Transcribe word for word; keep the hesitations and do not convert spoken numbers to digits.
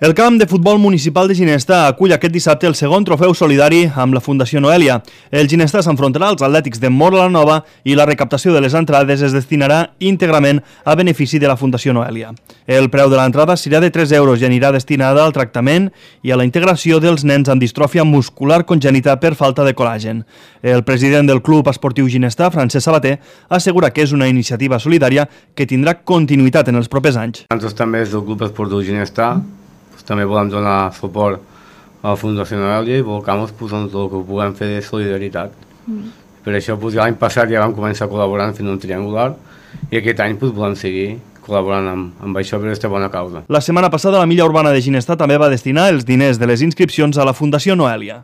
El camp de futbol municipal de Ginesta acull aquest dissabte el segon trofeu solidari amb la Fundació Noelia. El Ginesta s'enfrontarà als Atlètics de Móra la Nova i la recaptació de les entrades es destinarà íntegrament a benefici de la Fundació Noelia. El preu de l'entrada serà de tres euros i anirà destinada al tractament i a la integració dels nens amb distròfia muscular congènita per falta de col·làgen. El president del Club Esportiu Ginesta, Francesc Sabater, assegura que és una iniciativa solidària que tindrà continuïtat en els propers anys. Nosaltres també des del Club Esportiu Ginesta també volem donar suport a la Fundació Noelia i volcam pues, tot el que puguem fer de solidaritat. Mm. Per això pues, l'any passat ja vam començar col·laborant fent un triangular i aquest any pues, volem seguir col·laborant amb, amb això per aquesta bona causa. La setmana passada la Milla Urbana de Ginesta també va destinar els diners de les inscripcions a la Fundació Noelia.